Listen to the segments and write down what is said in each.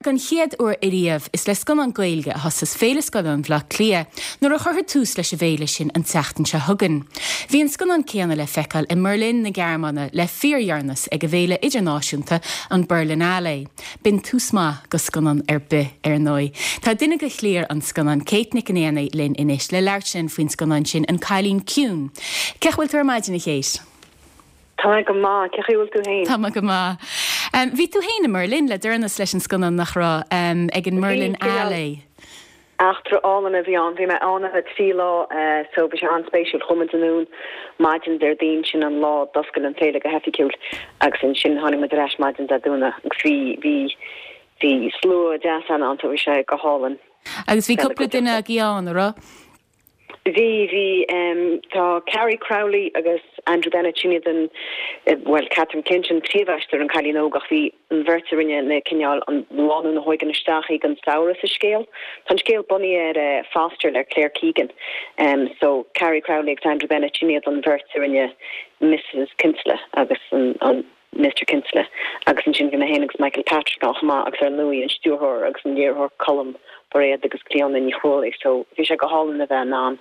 Don chéad uair ariamh, is le scannán Gaeilge a thosós Féile Scannán Bhaile Átha Cliath nuair a chuirfear tús leis an bhféile sin an tseachtain seo chugainn. Bhí an scannán céanna le feiceáil i mBerlin na Gearmáine le fíordheireanas ag an bhféile idirnáisiúnta, an Berlinale. B'in tús maith go scannán ar bith, ar ndóigh. Tá duine de chliar an scannáin, Kate Nic an Éanaigh, linn anois le labhairt linn faoin scannán sin, An Cailín Ciúin. Cén chaoi a bhfuil tú ar maidin, a Kate? Tá mé go maith. Cén chaoi a bhfuil tú féin? Tá mé go maith. Bhí tú féin i mBerlin le deireanas leis an scannán, nach raibh? Ag an mBerlinale. Eachtra álainn a bhí ann. Bhí mé ann ar feadh 3 lá so bhí sé an-spéisiúil. Chuaigh muid anonn maidin Déardaoin, sin an lá a d'oscail an féile go hoifigiúil agus ansin tháinig muid ar ais maidin Dé Domhnaigh agus bhí bhí bhí slua deas ann so bhí sé go hálainn. Agus bhí cúpla duine agaibh ann, a raibh? Bhí, bhí. Tá Carrie Crowley agus Andrew Bennett, sin iad an, bhuel, Catherine Clinch an príomhaisteoir, an cailín óg, ach bhí an bheirt a rinne na cineál, an lánúin a thóigeann isteach í don samhradh sa scéal. Tá an scéal bunaithe ar Foster le Claire Keegan. So, Carrie Crowley agus Andrew Bennett, sin iad an bheirt a rinne Mrs Kinsella agus an, Mister Kinsella, agus ansin bhí mé féin agus Michael Patrick ann chomh maith agus ar ndóigh an stiúrthóir agus an léiritheoir Colm Bairéad agus Clíona Ní Chrualaoi so bhí sé go hálainn a bheith in ann.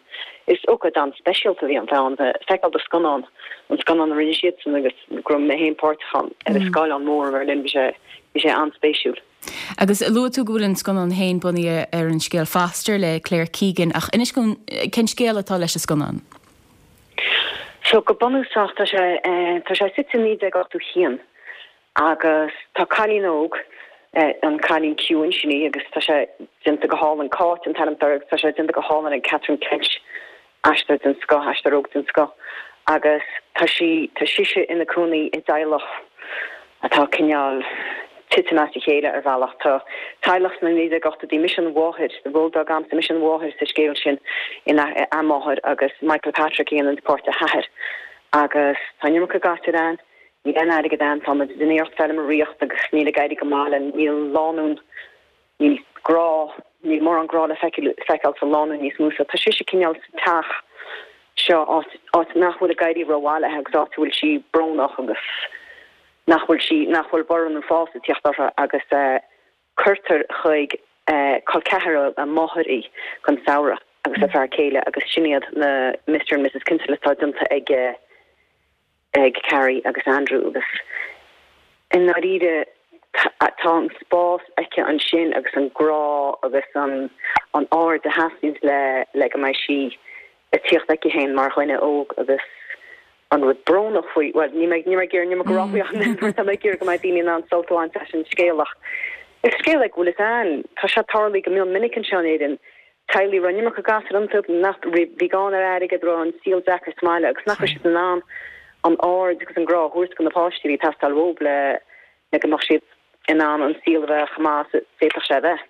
Is ócáid an-speisialta a bhí ann bheith ann bheith feiceáil do scannán, an scannán a rinne siadsan agus go raibh mé féin páirteach ann ar an scáileán mór i mBerlin bhí sé bhí sé an-spéisiúil. Agus luaigh tú go bhfuil an scannán féin bunaithe ar an scéal Foster le Claire Keegan ach inis dúinn cén scéal atá leis an scannán? So, go bunúsach, tá sé, tá sé suite i 1981 agus tá cailín óg, an cailín ciúin, sin í, agus tá sé déanta go hálainn, Cáit an t-ainm atá uirthi agus tá sé déanta go hálainn ag Catherine Clinch, aisteoir den scoth, aisteoir óg den scoth, agus tá sí, tá sise ina cónaí i dteaghlach atá cineál titim as a chéile ar bhealach. Tá teaghlach sna 1980idí, mise an mháthair, ról atá agamsa, mise an mháthair sa scéal sin, a máthair agus Michael Patrick a dhéanann páirt a hathar. Agus tá an iomarca gasúir ann, níl aon airgead ann, tá muid ag déanamh iarracht feilméaraíocht agus níl ag éirí go maith linn, níl an lánúin, Níl grá, níl mórán grá le feiceáil sa lánúin níos mó so tá sise cineál sa teach seo, áit, áit nach bhfuil ag éirí rómhaith léi agus áit a bhfuil sí brónach agus nach bhfuil sí, nach bhfuil borradh nó fás ag tíocht uirthi agus cuirtear chuig col ceathar a máthar í don samhradh agus a fear céile agus sin iad na Mr and Mrs Kinsella atá déanta ag ag Carrie agus Andrew agus i ndáiríre tá an spás aici ansin agus an grá agus an an aird a theastaíonns le le go mbeidh sí ag tíocht aici féin mar dhuine óg agus an rud brónach faoi, bhuel níl mé níl mé ag iarraidh níl mé ag rá faoi ach mar tá mé ag iarraidh go mbeidh daoine in ann sult a bhaint as an scéal ach is scéal é go bhfuil fhios a'inn, tá sé tarlaithe go mion minic anseo in Éirinn teaghlaigh a raibh an iomarca gasúr iontu, nach, bhí gann ar airgead, raibh an saol deacair sa mbaile agus nach raibh siad in ann an aird agus an grá a thabhairt do na páistí a bhí ag teastáil uathu le le go mbeadh siad in ann an saol a bheith chomh maith is a d'fhéadfadh sé a bheith.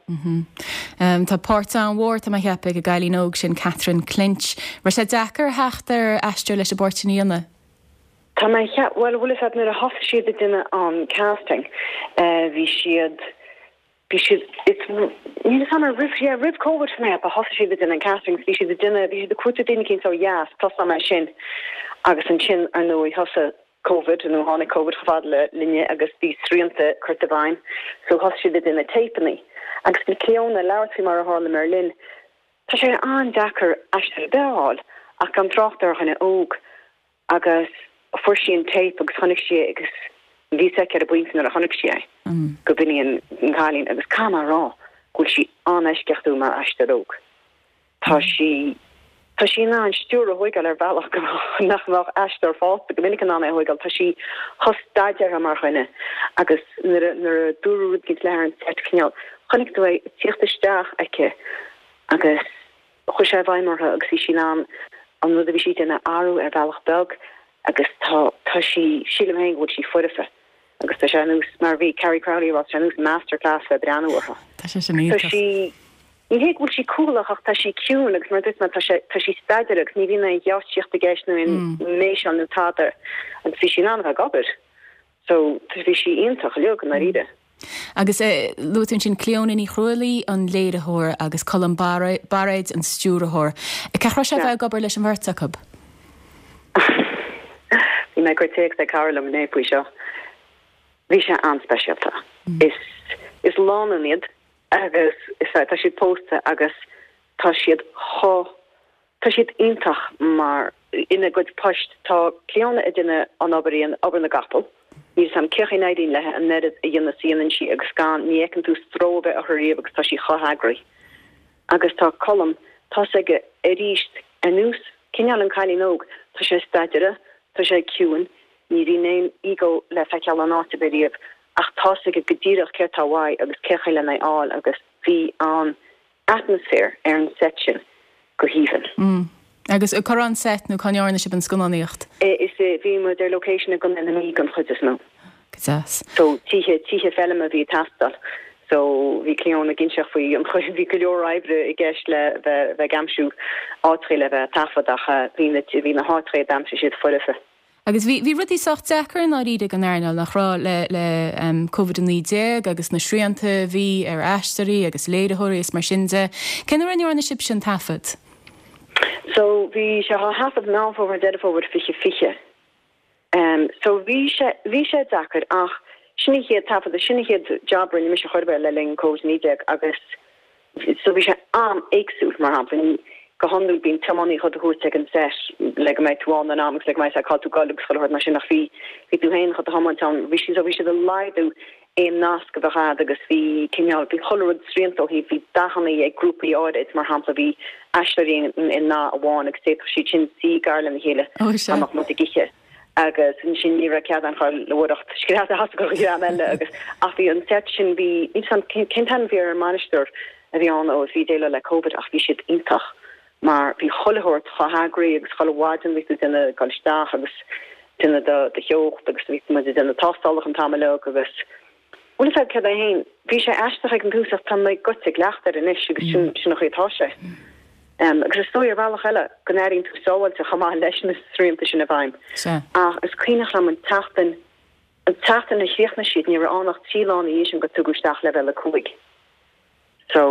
Tá páirt an-mhór, tá mé a cheapadh, ag an gcailín óg sin, Catherine Clinch. Raibh sé deacair a theacht ar aisteoir leis an bpáirt sin a dhéanamh? Tá mé a cheapadh, bhuel, bhfuil fhios a'd nuair a thosaigh siad ag déanamh an casting, bhí siad, Bhí siad, it's, níl fhios a'm ar roimh, yeah, roimh Covid tá mé a cheapadh, thosaigh siad ag déanamh an castings, bhí siad ag déanamh, bhí siad ag cuartú daoine eicínt ó dheas, tosóidh mé sin agus ansin ar ndóigh thosaigh Covid nó tháinig Covid chomh fada le linne agus bhí srianta curtha i bhfeidhm so thosaigh siad ag déanamh téipeannaí agus bhí Clíona ag labhairt faoi mar a tharla i mBerlin, tá sé an-deacair aisteoir ar bith a fháil ach gan trácht ar dhuine óg. Agus fuair sí an téip agus chonaic sí é agus bhí fhios aici ar an bpointe nuair a chonaic sí é go b'in í an cailín agus caithfidh mé a rá go bhfuil sí an-eisceachtúil mar aisteoir óg. Tá sí, tá sí in ann stiúir a thóigeáil ar bhealach go nach mbeadh aisteoir fásta go minic in ann é a thóigeáil. Tá sí chomh staidéartha mar dhuine agus nuair a, nuair a dúradh rud éicint léi ar an seit cineál, chonaic tú é ag tíocht isteach aici agus Chuaigh sé i bhfeidhm uirthi agus bhí sí in ann an rud a bhí sí ag déanamh a athrú ar bhealach beag agus tá, tá sí, sílim féin go bhfuil sí foirfe agus tá sé ar nós, mar a bhí Carrie Crowley a rá, tá sé ar nós masterclass bheith ag breathnú uirthi. Tá sé sin iontach. Tá sí, ní hé go bhfuil sí cúthalach ach tá sí ciúin agus mar a dúirt mé tá sé, tá sí staidéartha agus ní bhíonn aon gheáitsíocht i gceist nó aon méiseáil nó tada agus bhí sí in ann a bheith ag obair. So, bhí sí iontach uilig i ndáiríre. Agus luaigh tú ansin Clíona Ní Chrualaoi, an léiritheoir, agus Colm Bairéad, an stiúrthóir. Cén chaoi a raibh sé a bheith ag obair leis an bheirt acu? Bhí mé ag cur téacs ag cara liom inné faoi seo. Bhí sé an-speisialta. Is. Is lánúin iad agus is tá siad pósta agus tá siad chomh, tá siad iontach mar ina gcuid poist. Tá Clíona ag déanamh an obair an obair na gcapall. Níl 'fhios a'm cén chaoi a n-éiríonn léi an oiread a dhéanamh is a dhéanann sí agus gan, ní fheiceann tú stró ar bith uirthi riamh agus tá sí chomh heagraithe. Agus tá Colm, tá's aige aríst ar nós cineál an cailín óg, tá sé staideartha, tá sé ciúin, ní bhíonn aon ego le feiceáil in áit ar bith riamh ach tá's aige go díreach céard tá uaidh agus cén chaoi lena fháil agus bhí an atmaisféar ar an set sin go haoibhinn. Mm. Agus cá raibh an set nó cá ndearna sibh an scannánaíocht? Is é, bhí muid ar location i gContae na Mí don chuid is mó. Go deas. So tithe, tithe feilme a bhí ag teastáil. So bhí Clíona ag inseacht faoi an chaoi, bhí go leor oibre i gceist le bheith, bheith ag aimsiú áiteachaí le bheith ag taifead ach bhí na, bhí na háiteachaí a d'aimsigh siad foirfe. Agus bhí, bhí rudaí sách deacair i ndáiríre don earnáil, nach raibh, le, le Covid-19 agus na srianta a bhí ar aisteoirí agus léiritheoirí is mar sin de. Cén uair a ndearna sibhse an taifead? So bhí sé á thaifead Meán Fómhair, Deireadh Fómhair 2020. Em so bhí sé, bhí sé deacair ach sin an chéad taifead, sin an chéad job a rinne mise chor ar bith le linn Covid-19 agus So bhí sé an-éagsúil, mar shampla, ní, go hiondúil bíonn tiománaí chun tú thabhairt ag an set le go mbeidh tú ann in am agus le go mbeidh sé cá tú ag dul agus chuile shórt mar sin ach bhí, bhí tú féin chun do thiomáint ann. Bhí siad, so bhí siad ag laghdú aon nasc a bheadh a'd agus bhí cineál, bhí chuile rud srianta ó thaobh, bhí dathanna ag grúpaí áirid, mar shampla bhí aisteoirí i ndath amháin agus d'fhéadfadh siad sin suí gar lena chéile Ó sea. dá mbeadh muid ag ithe. agus ansin ní raibh cead ann choilleoireacht scread as go dhream eile agus ach bhí an set sin bhí níl 'fhios a'm cén cén t-ainm a bhí ar an mbainisteoir a bhí ann ó a bhí ag déileáil le Covid ach bhí siad iontach mar bhí chuile shórt chomh heagraithe agus chuile mhaidin bhí tú ag déanamh ag dul isteach agus déanamh do do theocht agus bhí muid ag déanamh tástálacha an t-am uilig agus Bhuel is ea céard é féin, bhí sé aisteach ag an tús ach tá mé goite i gcleachtadh air anois agus sin sin an chaoi atá sé. Agus is dóigh ar bhealach eile go n-airíonn tú sábháilte chomh maith leis na srianta sin i bhfeidhm. Sea. Ach is cuimhneach liom an tseachtain, an tseachtain a chríochnaigh siad, ní raibh ann ach 3 lá ina dhiaidh sin gur tugadh isteach leibhéal 5. So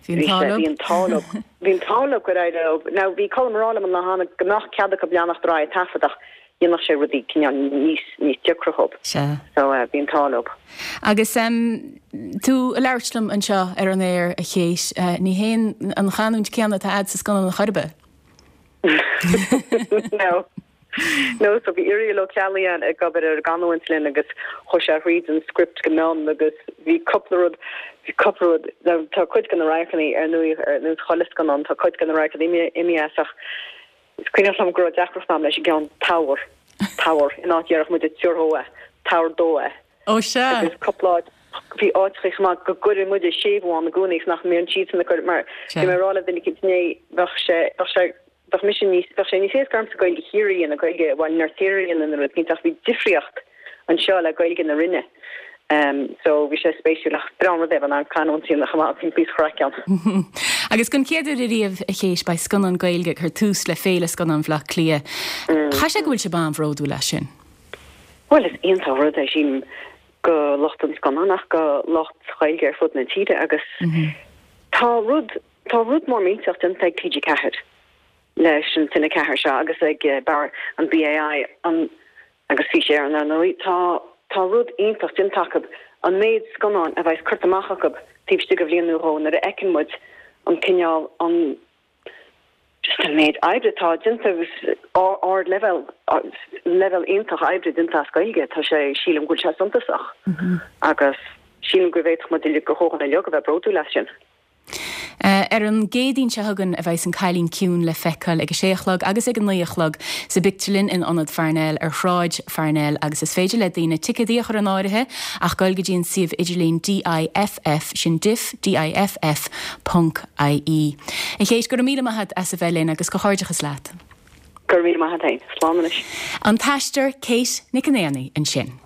Bhí an bhí t-ádh sé, leo. bhí an t-ádh leo, bhí an t-ádh leo gur éirigh leo. Now bhí Colm ag rá liom an lá cheana go mbeadh cead acu leanacht ar aghaidh ag taifead ach dhéanfadh sé rudaí cineál níos, níos deacra dhób. Sea. So bhí an t-ádh leo. Agus tú ag labhairt liom anseo ar an aer, a Kate, ní hé an chanúint céanna atá a'd sa scannán ar chor ar bith. No. No, so bhí Irial Ó Ceallaigh ann ag obair ar an gcanúint linn agus chuaigh sé thríd an script go mion agus bhí cúpla rud, bhí cúpla rud, now tá cuid de na radharcanna ar ndóigh ar nós chuile scannán, tá cuid de na radharcanna imithe as ach is cuimhneach liom go raibh deacracht agam leis an gceann tabhair, tabhair, in áit déarfadh muid tabhair dhó é, tabhair dó é. Ó sea. Agus cúpla áit, bhí áiteachaí chomh maith go gcuireadh muide séimhiú ann i gcónaí agus nach mbíonn siadsan ag cur mar bhí mé ag rá le duine eicínt inné bheadh sé, bheadh sé, bheadh mise níos, bheadh sé níos éasca ormsa Gaeilge Chiarraí a dhéanamh, Gaeilge Bhaile an Fheirtéaraigh a dhéanamh nó rud eicínt ach bhí difríocht anseo le Gaeilge na Rinne. So bhí sé spéisiúil ach breá an rud é bheith in ann canúint a dhéanamh chomh maith, bhí píosa craic ann. Agus don chéad uair ariamh, a Chéit, beidh scannán Gaeilge ag cur tús le Féile Scannán Bhaile Átha Cliath. Chaithfidh sé go bhfuil sibh an-bhródúil as sin? Bhuel is iontach an rud é sílim go lucht an scannáin ach go lucht Ghaeilge ar fud na tíre agus tá rud, Tá rud mór millteach déanta ag TG4 leis an Cine 4 seo agus ag bar an BAI an agus Fís Éireann ar ndóigh. Tá tá rud iontach déanta acu, an méid scannáin a bheas curtha amach acu taobh istigh de bhliain nó dhó nuair a fheiceann muid an cineál an just an méid oibre atá déanta agus ard leibhéal leibhéal iontach oibre déanta as Gaeilge tá sé sílim go bhfuil sé suntasach agus sílim go bhféadfadh muid uilig go chomh uilig a bheith bródúil as sin. Ar an gCéadaoin seo chugainn a bheas An Cailín Ciúin le feiceáil ag a sé a chlog agus ag a 9 a chlog sa bpictiúrlann in Ionad Pharnell ar Shráid Pharnell agus is féidir le daoine ticéadaí a chur in áirithe ach goil go dtí an suíomh idirlín DIFF, sin diff, D-I-F-F, ponc I-E. A Chéit, go raibh míle maith a't as a bheith linn agus comhghairdeachas leat. Go raibh míle maith a't fhéin. Slán anois. An t-aisteoir Kate Nic an Éanaigh ansin.